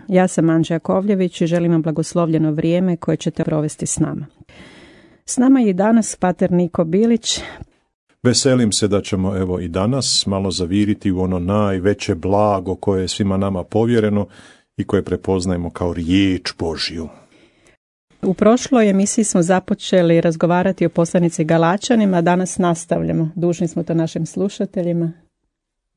Ja sam Anđa Jakovljević i želim vam blagoslovljeno vrijeme koje ćete provesti s nama. S nama je i danas pater Niko Bilić. Veselim se da ćemo evo i danas malo zaviriti u ono najveće blago koje je svima nama povjereno i koje prepoznajemo kao riječ Božju. U prošloj emisiji smo započeli razgovarati o poslanici Galačanima, a danas nastavljamo. Dužni smo to našim slušateljima.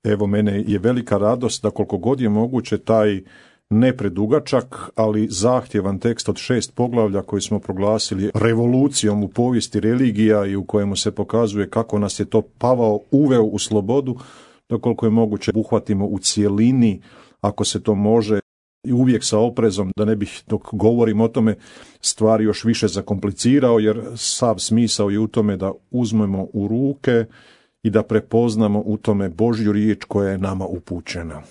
Evo, mene je velika radost da koliko god je moguće taj ne predugačak, ali zahtjevan tekst od 6 poglavlja koji smo proglasili revolucijom u povijesti religija i u kojemu se pokazuje kako nas je to Pavao uveo u slobodu, da koliko je moguće uhvatimo u cjelini, ako se to može, i uvijek sa oprezom, da ne bih dok govorim o tome stvari još više zakomplicirao, jer sav smisao je u tome da uzmemo u ruke i da prepoznamo u tome Božju riječ koja je nama upućena.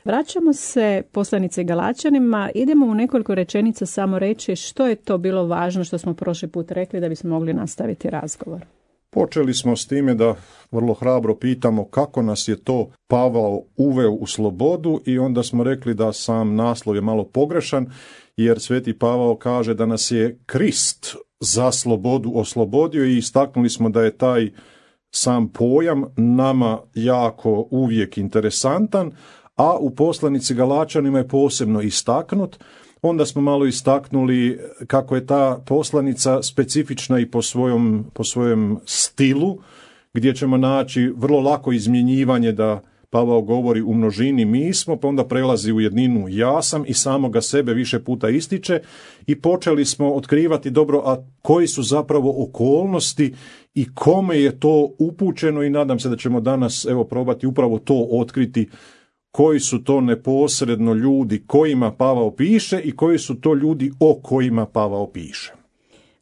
Vraćamo se poslanici Galačanima, idemo u nekoliko rečenica samo reći što je to bilo važno što smo prošli put rekli da bismo mogli nastaviti razgovor. Počeli smo s time da vrlo hrabro pitamo kako nas je to Pavao uveo u slobodu i onda smo rekli da sam naslov je malo pogrešan, jer sveti Pavao kaže da nas je Krist za slobodu oslobodio i istaknuli smo da je taj sam pojam nama jako uvijek interesantan, a u poslanici Galačanima je posebno istaknut. Onda smo malo istaknuli kako je ta poslanica specifična i po svojem stilu, gdje ćemo naći vrlo lako izmjenjivanje da Pavao govori u množini mi smo, pa onda prelazi u jedninu ja sam i samoga sebe više puta ističe i počeli smo otkrivati dobro, a koji su zapravo okolnosti i kome je to upućeno i nadam se da ćemo danas evo probati upravo to otkriti, koji su to neposredno ljudi kojima Pavao piše i koji su to ljudi o kojima Pavao piše.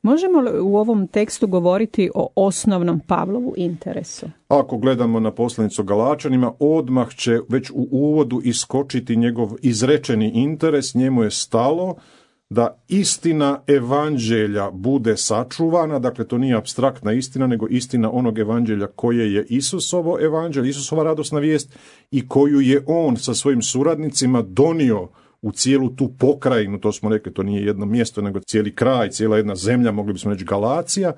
Možemo li u ovom tekstu govoriti o osnovnom Pavlovu interesu? Ako gledamo na poslanicu Galačanima, odmah će već u uvodu iskočiti njegov izrečeni interes. Njemu je stalo da istina evanđelja bude sačuvana, dakle to nije apstraktna istina, nego istina onog evanđelja koje je Isusovo evanđelje, Isusova radosna vijest i koju je on sa svojim suradnicima donio u cijelu tu pokrajinu, to smo rekli, to nije jedno mjesto, nego cijeli kraj, cijela jedna zemlja, mogli bismo reći Galacija.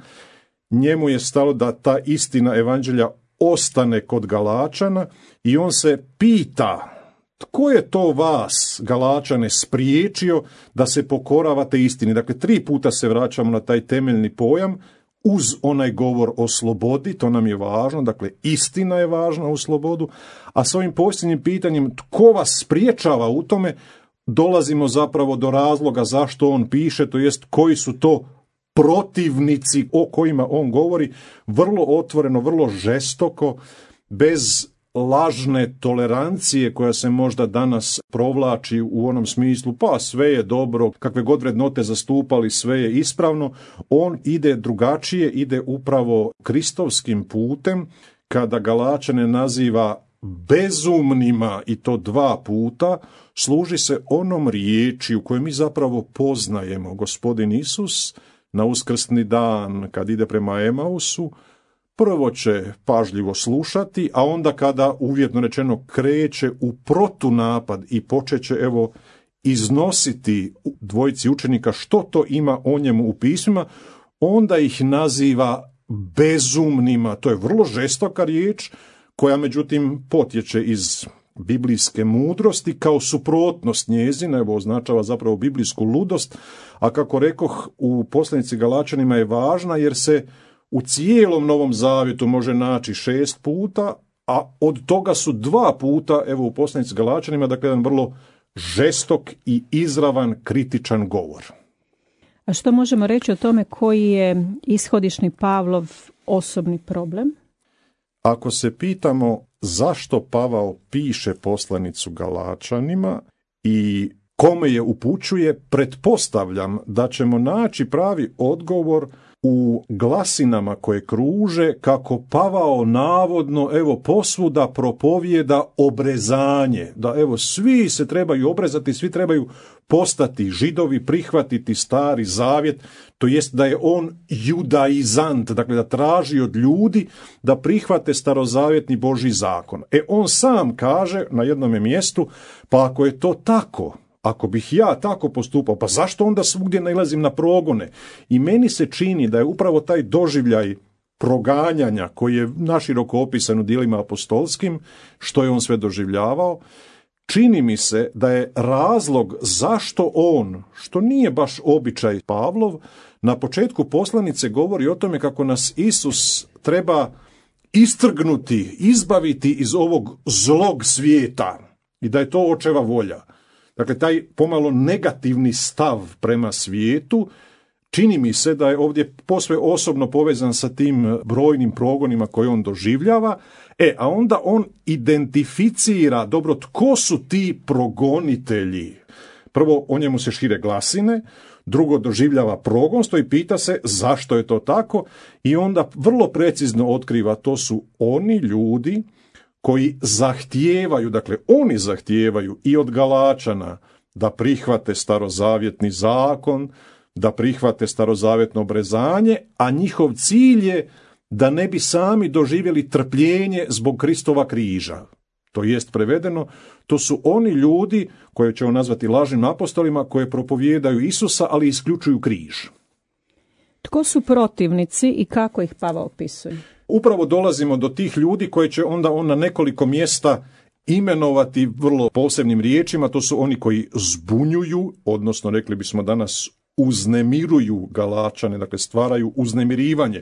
Njemu je stalo da ta istina evanđelja ostane kod Galačana i on se pita tko je to vas, Galačane, spriječio da se pokoravate istini. Dakle, 3 puta se vraćamo na taj temeljni pojam uz onaj govor o slobodi, to nam je važno, dakle istina je važna u slobodu, a s ovim posljednjim pitanjem tko vas spriječava u tome, dolazimo zapravo do razloga zašto on piše, to jest koji su to protivnici o kojima on govori, vrlo otvoreno, vrlo žestoko, bez lažne tolerancije koja se možda danas provlači u onom smislu, pa sve je dobro, kakve god vrednote zastupali, sve je ispravno. On ide drugačije, ide upravo kristovskim putem, kada Galačane naziva bezumnima i to 2 puta, služi se onom riječi u kojoj mi zapravo poznajemo Gospodin Isus na uskrsni dan kad ide prema Emausu. Prvo će pažljivo slušati, a onda kada uvjetno rečeno kreće u protunapad i počeće evo iznositi dvojici učenika što to ima o njemu u pismima, onda ih naziva bezumnima. To je vrlo žestoka riječ koja međutim potječe iz biblijske mudrosti kao suprotnost njezina, evo označava zapravo biblijsku ludost, a kako rekoh u poslanici Galačanima je važna jer se u cijelom Novom Zavjetu može naći 6 puta, a od toga su 2 puta, evo u poslanici Galačanima, dakle jedan vrlo žestok i izravan kritičan govor. A što možemo reći o tome koji je ishodišni Pavlov osobni problem? Ako se pitamo zašto Pavao piše poslanicu Galačanima i kome je upućuje, pretpostavljam da ćemo naći pravi odgovor u glasinama koje kruže kako Pavao navodno evo posvuda propovijeda obrezanje, da evo svi se trebaju obrezati, svi trebaju postati Židovi, prihvatiti Stari Zavjet, to jest da je on judaizant, dakle da traži od ljudi da prihvate starozavjetni Božji zakon. On sam kaže na jednom mjestu, pa ako je to tako, ako bih ja tako postupao, pa zašto onda svugdje nailazim na progone? I meni se čini da je upravo taj doživljaj proganjanja koji je naširoko opisan u djelima apostolskim, što je on sve doživljavao, čini mi se da je razlog zašto on, što nije baš običaj Pavlov, na početku poslanice govori o tome kako nas Isus treba istrgnuti, izbaviti iz ovog zlog svijeta i da je to očeva volja. Dakle, taj pomalo negativni stav prema svijetu čini mi se da je ovdje posve osobno povezan sa tim brojnim progonima koje on doživljava, a onda on identificira, dobro, tko su ti progonitelji. Prvo, o njemu se šire glasine, drugo, doživljava progonstvo i pita se zašto je to tako i onda vrlo precizno otkriva, to su oni ljudi koji zahtijevaju, dakle oni zahtijevaju i od Galačana da prihvate starozavjetni zakon, da prihvate starozavjetno obrezanje, a njihov cilj je da ne bi sami doživjeli trpljenje zbog Kristova križa. To jest prevedeno, to su oni ljudi koje ćemo nazvati lažnim apostolima, koje propovijedaju Isusa, ali isključuju križ. Tko su protivnici i kako ih Pavao opisuje? Upravo dolazimo do tih ljudi koje će onda on na nekoliko mjesta imenovati vrlo posebnim riječima. To su oni koji zbunjuju, odnosno rekli bismo danas uznemiruju Galačane, dakle stvaraju uznemirivanje.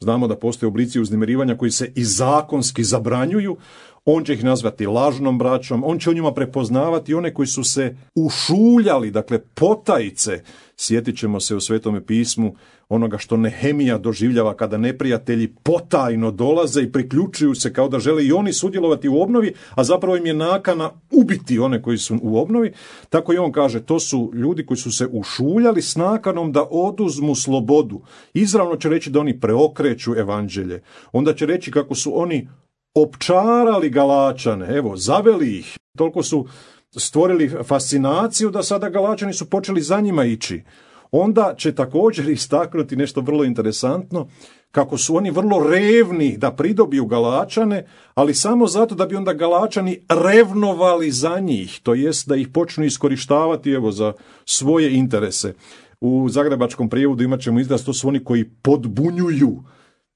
Znamo da postoje oblici uznemirivanja koji se i zakonski zabranjuju. On će ih nazvati lažnom braćom, on će u njima prepoznavati one koji su se ušuljali, dakle potajice. Sjetit ćemo se u Svetome pismu onoga što Nehemija doživljava kada neprijatelji potajno dolaze i priključuju se kao da žele i oni sudjelovati u obnovi, a zapravo im je nakana ubiti one koji su u obnovi. Tako i on kaže, to su ljudi koji su se ušuljali s nakanom da oduzmu slobodu. Izravno će reći da oni preokreću evanđelje. Onda će reći kako su oni opčarali Galačane, evo, zaveli ih. Toliko su stvorili fascinaciju da sada Galačani su počeli za njima ići. Onda će također istaknuti nešto vrlo interesantno, kako su oni vrlo revni da pridobiju Galačane, ali samo zato da bi onda Galačani revnovali za njih, to jest da ih počnu iskorištavati evo za svoje interese. U zagrebačkom prijevodu imat ćemo izraz, to su oni koji podbunjuju.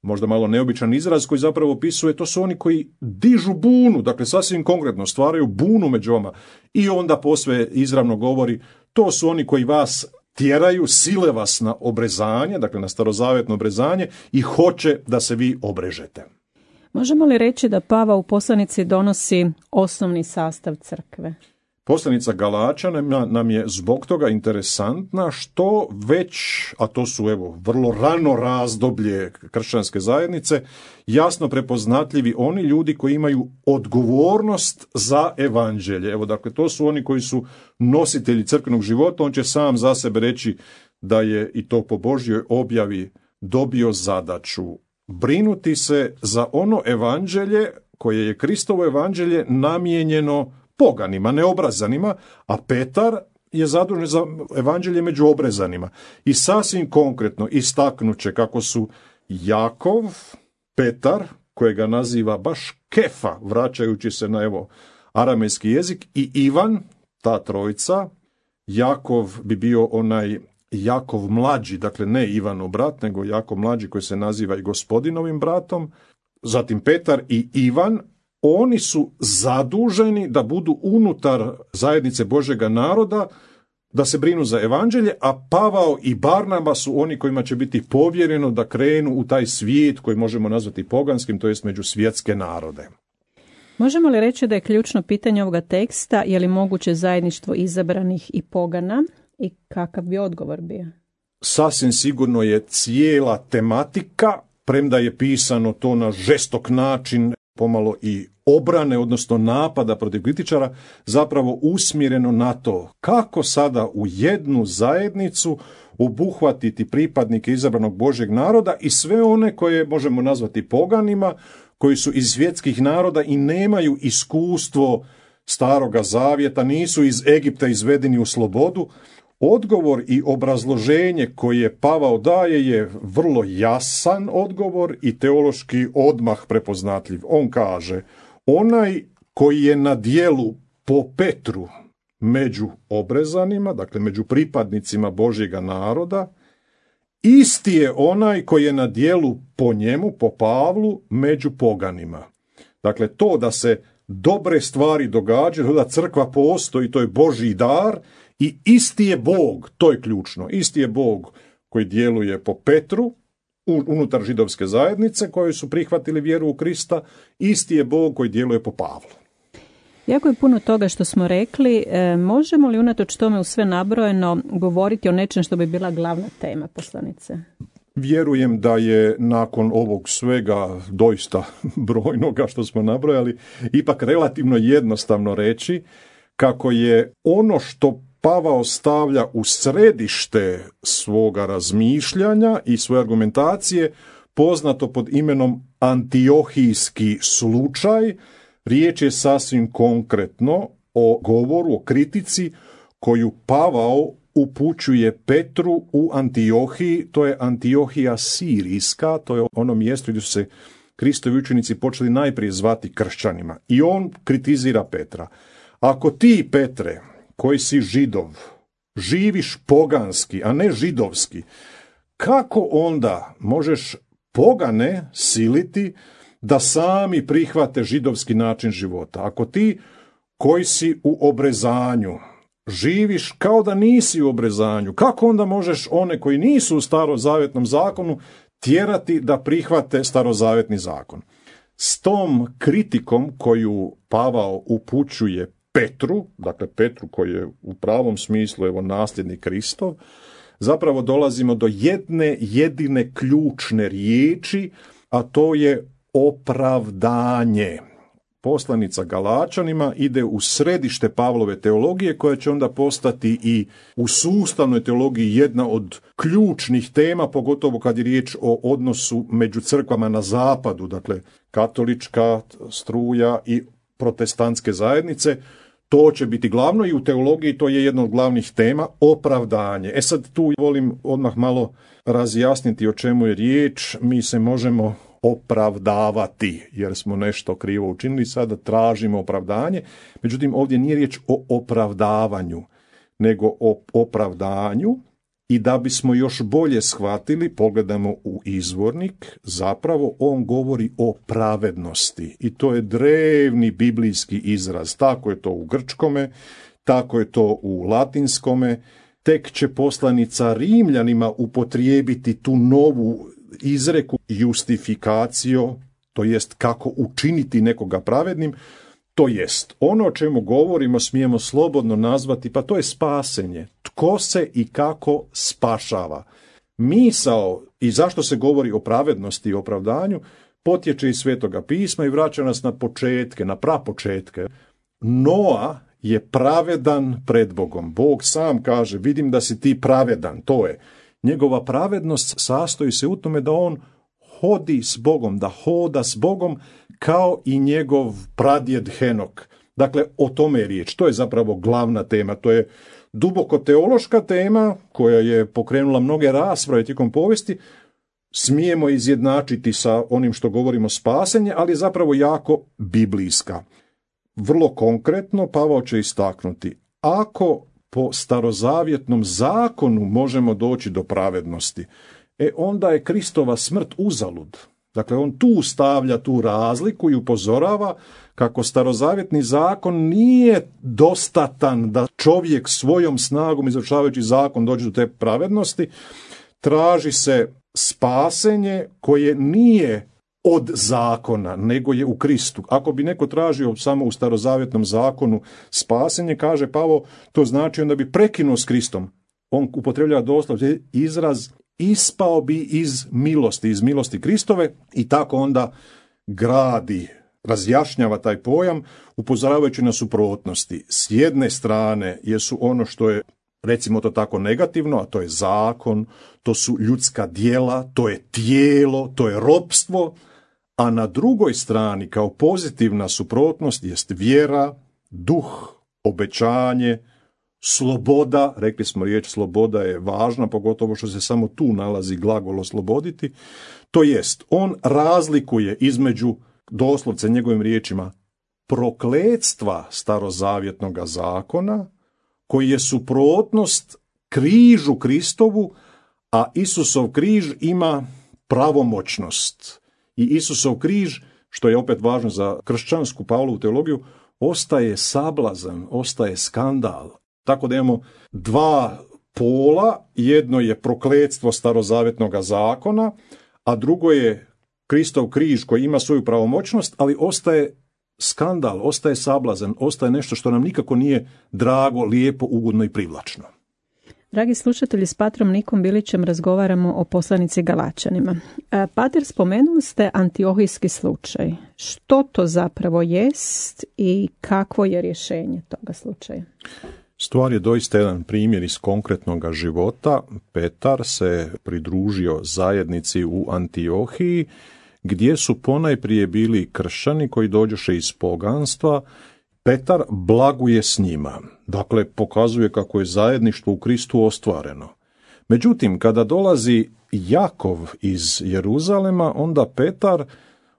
Možda malo neobičan izraz koji zapravo opisuje, to su oni koji dižu bunu, dakle sasvim konkretno stvaraju bunu među vama. I onda posve izravno govori, to su oni koji vas tjeraju, sile vas na obrezanje, dakle na starozavjetno obrezanje i hoće da se vi obrežete. Možemo li reći da Pavao u poslanici donosi osnovni sastav crkve? Poslanica Galačana nam je zbog toga interesantna što već, a to su evo vrlo rano razdoblje kršćanske zajednice, jasno prepoznatljivi oni ljudi koji imaju odgovornost za evanđelje. Evo dakle to su oni koji su nositelji crkvenog života, on će sam za sebe reći da je i to po Božjoj objavi dobio zadaću brinuti se za ono evanđelje koje je Kristovo evanđelje namijenjeno poganima, neobrazanima, a Petar je zadužen za evanđelje među obrezanima. I sasvim konkretno istaknuće kako su Jakov, Petar, kojega naziva baš Kefa, vraćajući se na evo aramejski jezik, i Ivan, ta trojica. Jakov bi bio onaj Jakov mlađi, dakle ne Ivanov brat, nego Jakov mlađi koji se naziva i Gospodinovim bratom. Zatim Petar i Ivan, oni su zaduženi da budu unutar zajednice Božjega naroda, da se brinu za evanđelje, a Pavao i Barnaba su oni kojima će biti povjereno da krenu u taj svijet koji možemo nazvati poganskim, to jest među svjetske narode. Možemo li reći da je ključno pitanje ovoga teksta, je li moguće zajedništvo izabranih i pogana i kakav bi odgovor bio? Sasvim sigurno je cijela tematika, premda je pisano to na žestok način, pomalo i obrane, odnosno napada protiv kritičara, zapravo usmjereno na to kako sada u jednu zajednicu obuhvatiti pripadnike izabranog Božjeg naroda i sve one koje možemo nazvati poganima, koji su iz svjetskih naroda i nemaju iskustvo Staroga zavjeta, nisu iz Egipta izvedeni u slobodu. Odgovor i obrazloženje koje Pavao daje je vrlo jasan odgovor i teološki odmah prepoznatljiv. On kaže, onaj koji je na djelu po Petru, među obrezanima, dakle među pripadnicima Božjega naroda, isti je onaj koji je na djelu po njemu, po Pavlu, među poganima. Dakle, to da se dobre stvari događaju, da crkva postoji, to je Božji dar i isti je Bog, to je ključno, isti je Bog koji djeluje po Petru, unutar židovske zajednice koji su prihvatili vjeru u Krista, isti je Bog koji djeluje po Pavlu. Jako je puno toga što smo rekli. Možemo li unatoč tome u sve nabrojeno govoriti o nečem što bi bila glavna tema poslanice? Vjerujem da je nakon ovog svega doista brojnoga što smo nabrojali, ipak relativno jednostavno reći kako je ono što Pavao stavlja u središte svoga razmišljanja i svoje argumentacije poznato pod imenom antiohijski slučaj. Riječ je sasvim konkretno o govoru, o kritici koju Pavao upućuje Petru u Antiohiji. To je Antiohija Sirijska, to je ono mjesto gdje su se Kristovi učenici počeli najprije zvati kršćanima. I on kritizira Petra. Ako ti, Petre, koji si Židov, živiš poganski, a ne židovski, kako onda možeš pogane siliti da sami prihvate židovski način života? Ako ti koji si u obrezanju živiš kao da nisi u obrezanju, kako onda možeš one koji nisu u starozavjetnom zakonu tjerati da prihvate starozavjetni zakon? S tom kritikom koju Pavao upućuje Petru, dakle Petru koji je u pravom smislu nasljednik Kristov, zapravo dolazimo do jedne jedine ključne riječi, a to je opravdanje. Poslanica Galačanima ide u središte Pavlove teologije, koja će onda postati i u sustavnoj teologiji jedna od ključnih tema, pogotovo kad je riječ o odnosu među crkvama na zapadu, dakle katolička struja i protestantske zajednice. To će biti glavno i u teologiji to je jedna od glavnih tema, opravdanje. Sad tu volim odmah malo razjasniti o čemu je riječ. Mi se možemo opravdavati jer smo nešto krivo učinili, sada tražimo opravdanje. Međutim, ovdje nije riječ o opravdavanju, nego o opravdanju. I da bismo još bolje shvatili, pogledamo u izvornik, zapravo on govori o pravednosti. I to je drevni biblijski izraz. Tako je to u grčkome, tako je to u latinskome. Tek će poslanica Rimljanima upotrijebiti tu novu izreku justifikacio, to jest kako učiniti nekoga pravednim, to jest ono o čemu govorimo smijemo slobodno nazvati, pa to je spasenje. Tko se i kako spašava. Misao i zašto se govori o pravednosti i opravdanju potječe iz Svetoga pisma i vraća nas na početke, na prapočetke. Noa je pravedan pred Bogom. Bog sam kaže, vidim da si ti pravedan, to je. Njegova pravednost sastoji se u tome da on hodi s Bogom, da hoda s Bogom kao i njegov pradjed Henok. Dakle, o tome je riječ. To je zapravo glavna tema. To je duboko teološka tema koja je pokrenula mnoge rasprave tijekom povijesti. Smijemo izjednačiti sa onim što govorimo spasenje, ali je zapravo jako biblijska. Vrlo konkretno Pavao će istaknuti, ako po starozavjetnom zakonu možemo doći do pravednosti, onda je Kristova smrt uzalud. Dakle, on tu stavlja tu razliku i upozorava kako starozavjetni zakon nije dostatan da čovjek svojom snagom izvršavajući zakon dođe do te pravednosti. Traži se spasenje koje nije od zakona, nego je u Kristu. Ako bi neko tražio samo u starozavjetnom zakonu spasenje, kaže Pavao, to znači onda bi prekinuo s Kristom. On upotrebljava doslovno izraz ispao bi iz milosti Kristove i tako onda gradi, razjašnjava taj pojam upozoravajući na suprotnosti. S jedne strane jesu ono što je, recimo to tako, negativno, a to je zakon, to su ljudska djela, to je tijelo, to je ropstvo, a na drugoj strani kao pozitivna suprotnost jest vjera, duh, obećanje, sloboda. Rekli smo riječ sloboda je važna, pogotovo što se samo tu nalazi glagol osloboditi. To jest, on razlikuje između, doslovce njegovim riječima, prokletstva starozavjetnog zakona koji je suprotnost križu Kristovu, a Isusov križ ima pravomoćnost. I Isusov križ, što je opet važno za kršćansku Pavlovu teologiju, ostaje sablazan, ostaje skandal. Tako da imamo dva pola, jedno je prokletstvo starozavjetnog zakona, a drugo je Kristov križ koji ima svoju pravomoćnost, ali ostaje skandal, ostaje sablazan, ostaje nešto što nam nikako nije drago, lijepo, ugodno i privlačno. Dragi slušatelji, s patrom Nikom Bilićem razgovaramo o poslanici Galačanima. Pater, spomenuli ste antiohijski slučaj. Što to zapravo jest i kakvo je rješenje toga slučaja? Stvar je doista jedan primjer iz konkretnog života. Petar se pridružio zajednici u Antiohiji, gdje su ponajprije bili kršćani koji dođoše iz poganstva. Petar blaguje s njima, dakle pokazuje kako je zajedništvo u Kristu ostvareno. Međutim, kada dolazi Jakov iz Jeruzalema, onda Petar,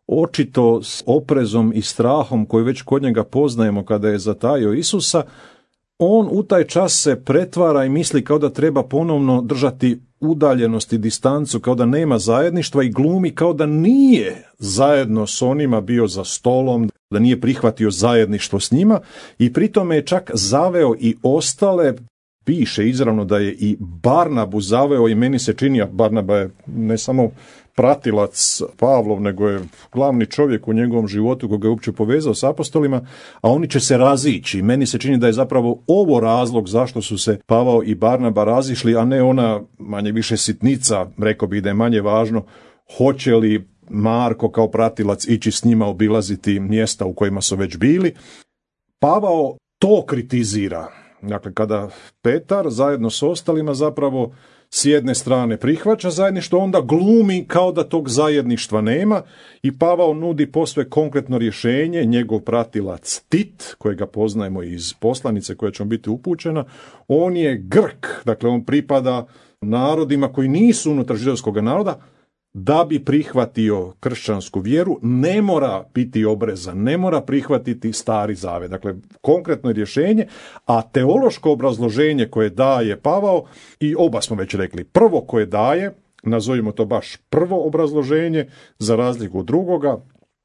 očito s oprezom i strahom koji već kod njega poznajemo kada je zatajio Isusa, on u taj čas se pretvara i misli kao da treba ponovno držati udaljenost i distancu, kao da nema zajedništva i glumi kao da nije zajedno s onima bio za stolom, da nije prihvatio zajedništvo s njima i pritome je čak zaveo i ostale. Piše izravno da je i Barnabu zaveo i meni se čini, a Barnaba je ne samo pratilac Pavlov, nego je glavni čovjek u njegovom životu koga je uopće povezao s apostolima, a oni će se razići. Meni se čini da je zapravo ovo razlog zašto su se Pavao i Barnaba razišli, a ne ona manje više sitnica, rekao bih da je manje važno, hoće li Marko kao pratilac ići s njima obilaziti mjesta u kojima su već bili. Pavao to kritizira. Dakle, kada Petar zajedno s ostalima zapravo s jedne strane prihvaća zajedništvo, onda glumi kao da tog zajedništva nema i Pavao nudi posve konkretno rješenje. Njegov pratilac Tit, kojega poznajemo iz poslanice koja će biti upućena, on je Grk, dakle on pripada narodima koji nisu unutar židovskog naroda. Da bi prihvatio kršćansku vjeru, ne mora biti obrezan, ne mora prihvatiti stari zavet. Dakle, konkretno je rješenje, a teološko obrazloženje koje daje Pavao, i oba smo već rekli, prvo koje daje, nazovimo to baš prvo obrazloženje, za razliku od drugoga,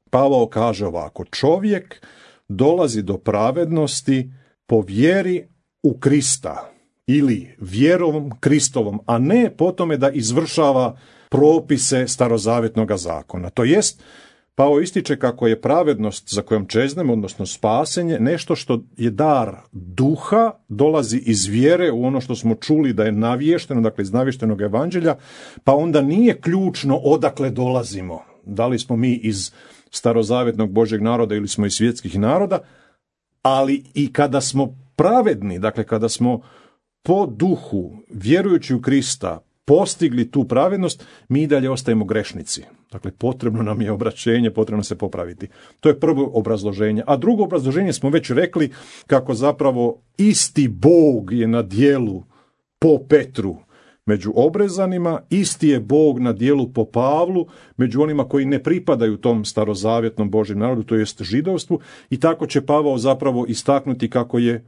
Pavao kaže ovako: čovjek dolazi do pravednosti po vjeri u Krista ili vjerom Kristovom, a ne po tome da izvršava propise starozavjetnog zakona. To jest, Pavao ističe kako je pravednost za kojom čeznemo, odnosno spasenje, nešto što je dar duha, dolazi iz vjere u ono što smo čuli da je navješteno, dakle iz navještenog evanđelja, pa onda nije ključno odakle dolazimo. Da li smo mi iz starozavjetnog Božjeg naroda ili smo iz svjetskih naroda, ali i kada smo pravedni, dakle kada smo po duhu, vjerujući u Krista, postigli tu pravednost, mi i dalje ostajemo grešnici. Dakle, potrebno nam je obraćenje, potrebno se popraviti. To je prvo obrazloženje. A drugo obrazloženje smo već rekli kako zapravo isti Bog je na djelu po Petru među obrezanima, isti je Bog na djelu po Pavlu među onima koji ne pripadaju tom starozavjetnom Božjem narodu, to jest židovstvu, i tako će Pavao zapravo istaknuti kako je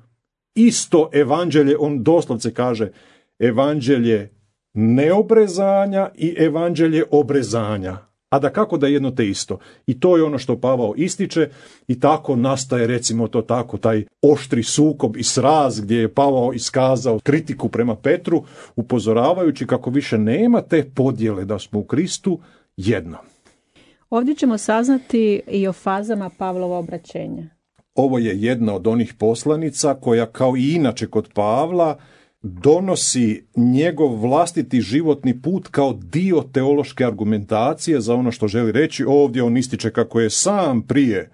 isto evanđelje, on doslovce kaže evanđelje neobrezanja i evanđelje obrezanja, a da kako da je jedno te isto. I to je ono što Pavao ističe i tako nastaje, recimo to tako, taj oštri sukob i sraz gdje je Pavao iskazao kritiku prema Petru, upozoravajući kako više nema te podjele, da smo u Kristu jedno. Ovdje ćemo saznati i o fazama Pavlova obraćenja. Ovo je jedna od onih poslanica koja, kao i inače kod Pavla, donosi njegov vlastiti životni put kao dio teološke argumentacije za ono što želi reći. Ovdje on ističe kako je sam prije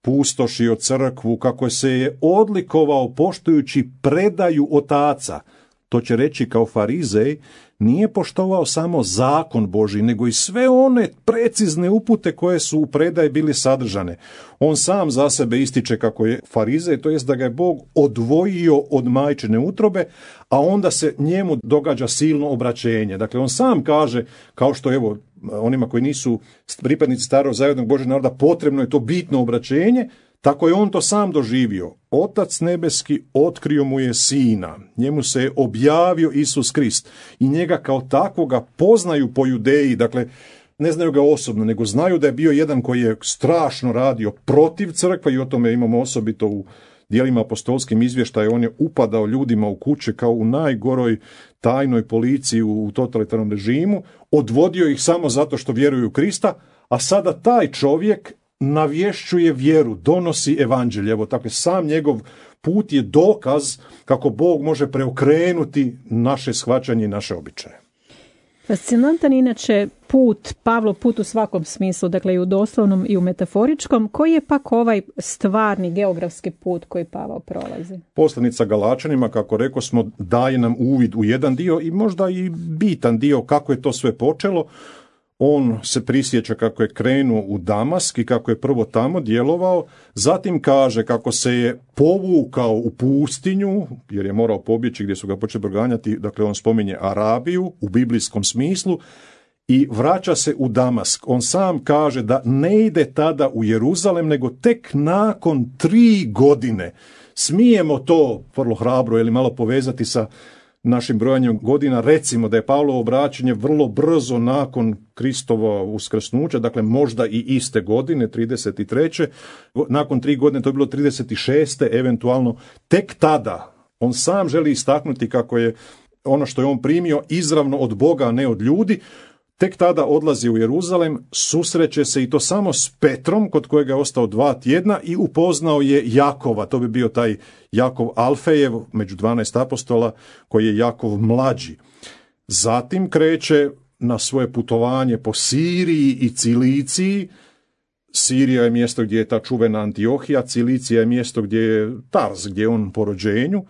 pustošio crkvu, kako se je odlikovao poštujući predaju otaca. To će reći kao farizej, nije poštovao samo zakon Božji, nego i sve one precizne upute koje su u predaji bili sadržane. On sam za sebe ističe kako je farizej, to jest da ga je Bog odvojio od majčine utrobe, a onda se njemu događa silno obraćenje. Dakle, on sam kaže, kao što evo onima koji nisu pripadnici starog zajednog Božjeg naroda, potrebno je to bitno obraćenje, Tako je on to sam doživio. Otac nebeski otkrio mu je sina, njemu se je objavio Isus Krist i njega kao takvoga poznaju po Judeji, dakle ne znaju ga osobno, nego znaju da je bio jedan koji je strašno radio protiv crkve i o tome imamo osobito u dijelima apostolskim izvještaja. On je upadao ljudima u kuće kao u najgoroj tajnoj policiji u totalitarnom režimu, odvodio ih samo zato što vjeruju u Krista, a sada taj čovjek navješćuje vjeru, donosi evanđelje. Evo, dakle, sam njegov put je dokaz kako Bog može preokrenuti naše shvaćanje i naše običaje. Fascinantan inače put, Pavlov put u svakom smislu, dakle i u doslovnom i u metaforičkom. Koji je pak ovaj stvarni geografski put koji Pavao prolazi? Poslanica Galačanima, kako rekao smo, daje nam uvid u jedan dio i možda i bitan dio kako je to sve počelo. On se prisjeća kako je krenuo u Damask i kako je prvo tamo djelovao, zatim kaže kako se je povukao u pustinju, jer je morao pobjeći gdje su ga počeli proganjati, dakle on spominje Arabiju u biblijskom smislu, i vraća se u Damask. On sam kaže da ne ide tada u Jeruzalem, nego tek nakon 3 godine. Smijemo to vrlo hrabro ili malo povezati sa našim brojanjem godina, recimo da je Pavlovo obraćanje vrlo brzo nakon Kristova uskrsnuća, dakle možda i iste godine, 33. Nakon 3 godine to je bilo 36. eventualno. Tek tada on sam želi istaknuti kako je ono što je on primio izravno od Boga, a ne od ljudi. Tek tada odlazi u Jeruzalem, susreće se i to samo s Petrom, kod kojega je ostao 2 tjedna, i upoznao je Jakova. To bi bio taj Jakov Alfejev, među 12 apostola, koji je Jakov mlađi. Zatim kreće na svoje putovanje po Siriji i Ciliciji. Sirija je mjesto gdje je ta čuvena Antiohija, Cilicija je mjesto gdje je Tars, gdje je on po rođenju.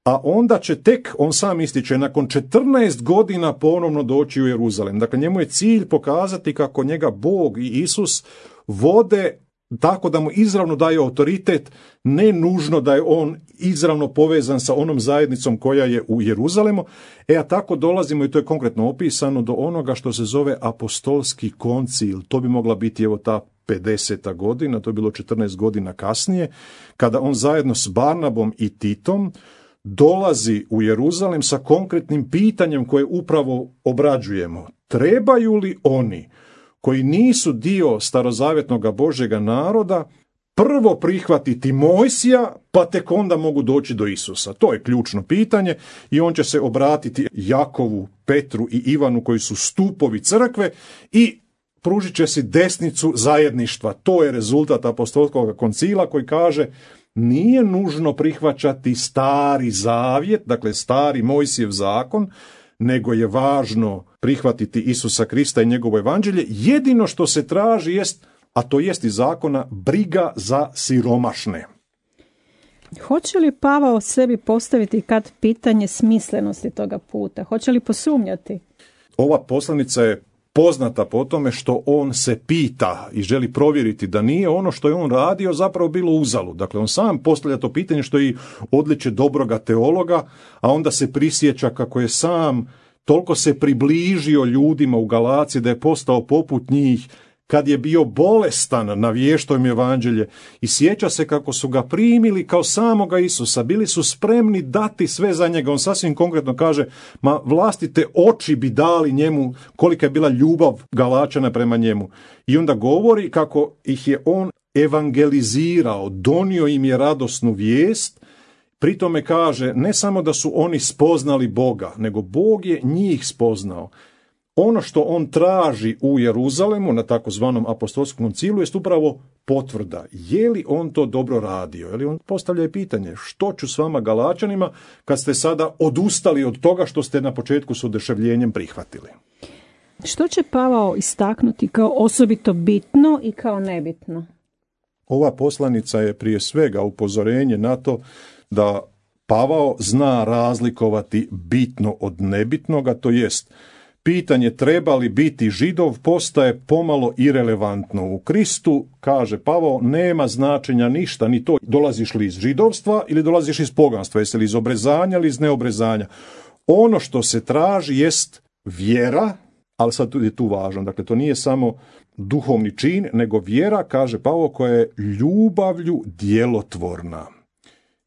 A onda će tek, on sam ističe, nakon 14 godina ponovno doći u Jeruzalem. Dakle, njemu je cilj pokazati kako njega Bog i Isus vode tako da mu izravno daje autoritet, ne nužno da je on izravno povezan sa onom zajednicom koja je u Jeruzalemu. A tako dolazimo, i to je konkretno opisano, do onoga što se zove apostolski koncil. To bi mogla biti evo ta 50. godina, to je bilo 14 godina kasnije, kada on zajedno s Barnabom i Titom dolazi u Jeruzalem sa konkretnim pitanjem koje upravo obrađujemo. Trebaju li oni koji nisu dio starozavjetnog Božjega naroda prvo prihvatiti Mojsija, pa tek onda mogu doći do Isusa? To je ključno pitanje i on će se obratiti Jakovu, Petru i Ivanu koji su stupovi crkve i pružit će si desnicu zajedništva. To je rezultat apostolskog koncila koji kaže: nije nužno prihvaćati stari zavjet, dakle stari Mojsijev zakon, nego je važno prihvatiti Isusa Krista i njegovo evanđelje. Jedino što se traži jest, a to jest iz zakona, briga za siromašne. Hoće li Pavao sebi postaviti kad pitanje smislenosti toga puta? Hoće li posumnjati? Ova poslanica je poznata po tome što on se pita i želi provjeriti da nije ono što je on radio zapravo bilo uzalud. Dakle, on sam postavlja to pitanje, što je i odličje dobroga teologa, a onda se prisjeća kako je sam toliko se približio ljudima u Galaciji da je postao poput njih, kad je bio bolestan, navještao im evanđelje, i sjeća se kako su ga primili kao samoga Isusa, bili su spremni dati sve za njega. On sasvim konkretno kaže, ma vlastite oči bi dali njemu, kolika je bila ljubav Galačana prema njemu. I onda govori kako ih je on evangelizirao, donio im je radosnu vijest. Pri tome kaže, ne samo da su oni spoznali Boga, nego Bog je njih spoznao. Ono što on traži u Jeruzalemu na takozvanom apostolskom koncilu jest upravo potvrda. Je li on to dobro radio? Je li on postavlja pitanje, što ću s vama Galačanima kad ste sada odustali od toga što ste na početku s oduševljenjem prihvatili? Što će Pavao istaknuti kao osobito bitno i kao nebitno? Ova poslanica je prije svega upozorenje na to da Pavao zna razlikovati bitno od nebitnoga, to jest pitanje treba li biti Židov postaje pomalo irelevantno. U Kristu, kaže Pavao, nema značenja ništa, ni to dolaziš li iz židovstva ili dolaziš iz poganstva, jesi li iz obrezanja ili iz neobrezanja. Ono što se traži jest vjera, ali sad je tu važno, dakle to nije samo duhovni čin, nego vjera, kaže Pavao, koja je ljubavlju djelotvorna.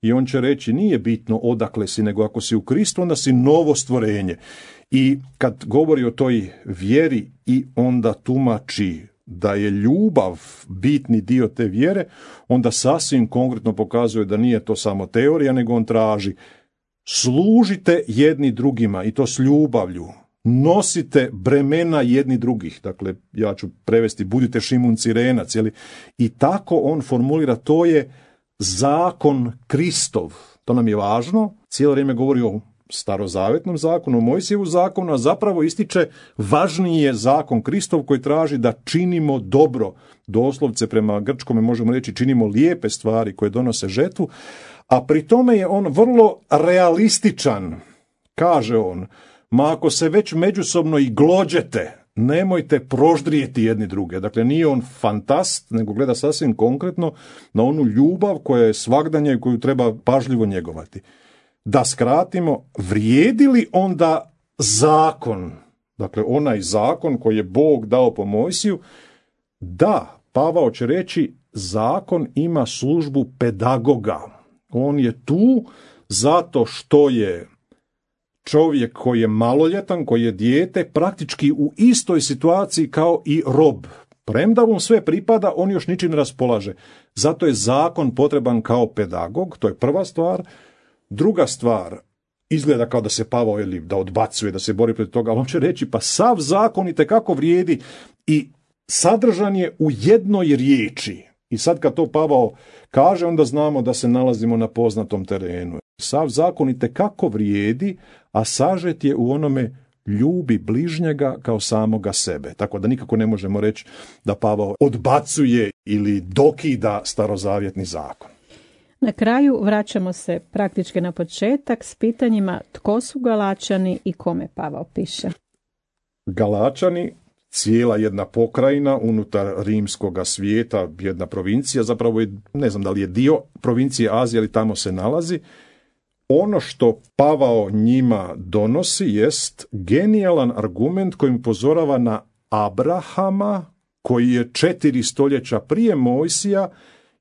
I on će reći, nije bitno odakle si, nego ako si u Kristu, onda si novo stvorenje. I kad govori o toj vjeri i onda tumači da je ljubav bitni dio te vjere, onda sasvim konkretno pokazuje da nije to samo teorija, nego on traži služite jedni drugima i to s ljubavlju. Nosite bremena jedni drugih. Dakle, ja ću prevesti budite Šimun Cirenac. I tako on formulira, to je zakon Kristov. To nam je važno. Cijelo vrijeme govori o starozavetnom zakonu, o Mojsijevu zakonu, a zapravo ističe važniji je zakon Kristov koji traži da činimo dobro. Doslovce prema grčkome možemo reći činimo lijepe stvari koje donose žetvu, a pri tome je on vrlo realističan. Kaže on, ma ako se već međusobno i glođete, nemojte proždrijeti jedni druge. Dakle, nije on fantast, nego gleda sasvim konkretno na onu ljubav koja je svagdanja i koju treba pažljivo njegovati. Da skratimo, vrijedi li onda zakon, dakle onaj zakon koji je Bog dao po Mojsiju? Da, Pavao će reći, zakon ima službu pedagoga. On je tu zato što je čovjek koji je maloljetan, koji je dijete, praktički u istoj situaciji kao i rob. Premda mu sve pripada, on još ničim ne raspolaže. Zato je zakon potreban kao pedagog, to je prva stvar. Druga stvar, izgleda kao da se Pavao da odbacuje, da se bori protiv toga, ali on će reći, pa sav zakon itekako vrijedi i sadržan je u jednoj riječi. I sad kad to Pavao kaže, onda znamo da se nalazimo na poznatom terenu. Sav zakon itekako vrijedi, a sažet je u onome ljubi bližnjega kao samoga sebe. Tako da nikako ne možemo reći da Pavao odbacuje ili dokida starozavjetni zakon. Na kraju vraćamo se praktički na početak s pitanjima tko su Galačani i kome Pavao piše. Galačani, cijela jedna pokrajina unutar rimskoga svijeta, jedna provincija, zapravo je, ne znam da li je dio provincije Azije, ali tamo se nalazi. Ono što Pavao njima donosi jest genijalan argument kojim upozorava na Abrahama, koji je 4 stoljeća prije Mojsija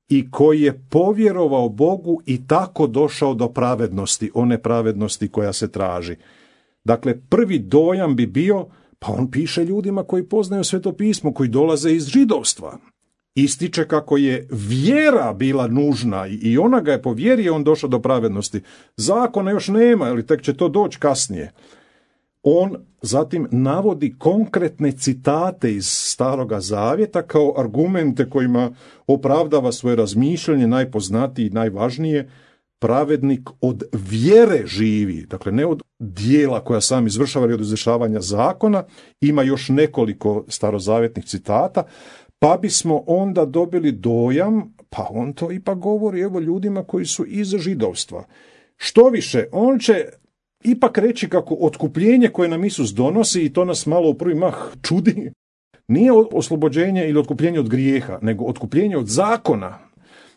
i koji je povjerovao Bogu i tako došao do pravednosti, one pravednosti koja se traži. Dakle, prvi dojam bi bio, pa on piše ljudima koji poznaju Sveto pismo, koji dolaze iz židovstva. Ističe kako je vjera bila nužna i ona ga je po vjeri on došao do pravednosti. Zakona još nema, ali tek će to doći kasnije. On zatim navodi konkretne citate iz Staroga Zavjeta kao argumente kojima opravdava svoje razmišljanje, najpoznatiji i najvažnije, pravednik od vjere živi, dakle ne od dijela koja sam izvršava ili od izvršavanja zakona. Ima još nekoliko starozavjetnih citata, pa bismo onda dobili dojam, pa on to ipak govori evo ljudima koji su iz židovstva. Što više, on će ipak reći kako otkupljenje koje nam Isus donosi, i to nas malo u prvi mah čudi, nije oslobođenje ili otkupljenje od grijeha, nego otkupljenje od zakona.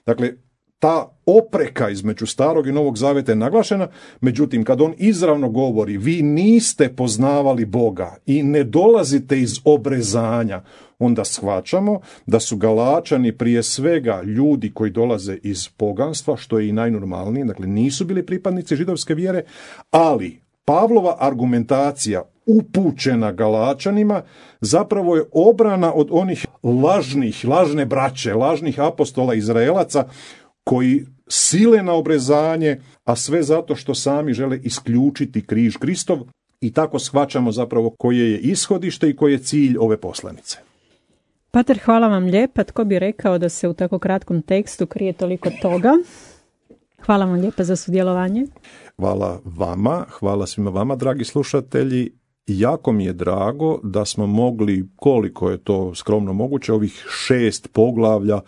Dakle, ta opreka između Starog i Novog Zavjeta je naglašena, međutim, kad on izravno govori, vi niste poznavali Boga i ne dolazite iz obrezanja, onda shvaćamo da su Galačani prije svega ljudi koji dolaze iz poganstva, što je i najnormalnije, dakle nisu bili pripadnici židovske vjere, ali Pavlova argumentacija upućena Galačanima zapravo je obrana od onih lažne braće, lažnih apostola Izraelaca koji sile na obrezanje, a sve zato što sami žele isključiti križ Kristov, i tako shvaćamo zapravo koje je ishodište i koji je cilj ove poslanice. Pater, hvala vam lijepa. Tko bi rekao da se u tako kratkom tekstu krije toliko toga? Hvala vam lijepa za sudjelovanje. Hvala vama, hvala svima vama, dragi slušatelji. Jako mi je drago da smo mogli, koliko je to skromno moguće, ovih 6 poglavlja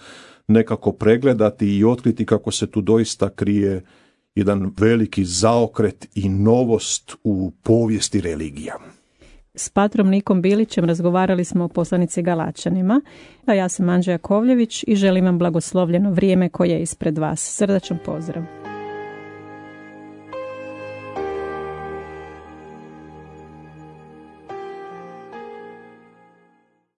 nekako pregledati i otkriti kako se tu doista krije jedan veliki zaokret i novost u povijesti religija. S patrom Nikom Bilićem razgovarali smo o poslanici Galačanima, a ja sam Anđa Jakovljević i želim vam blagoslovljeno vrijeme koje je ispred vas. Srdačan pozdrav.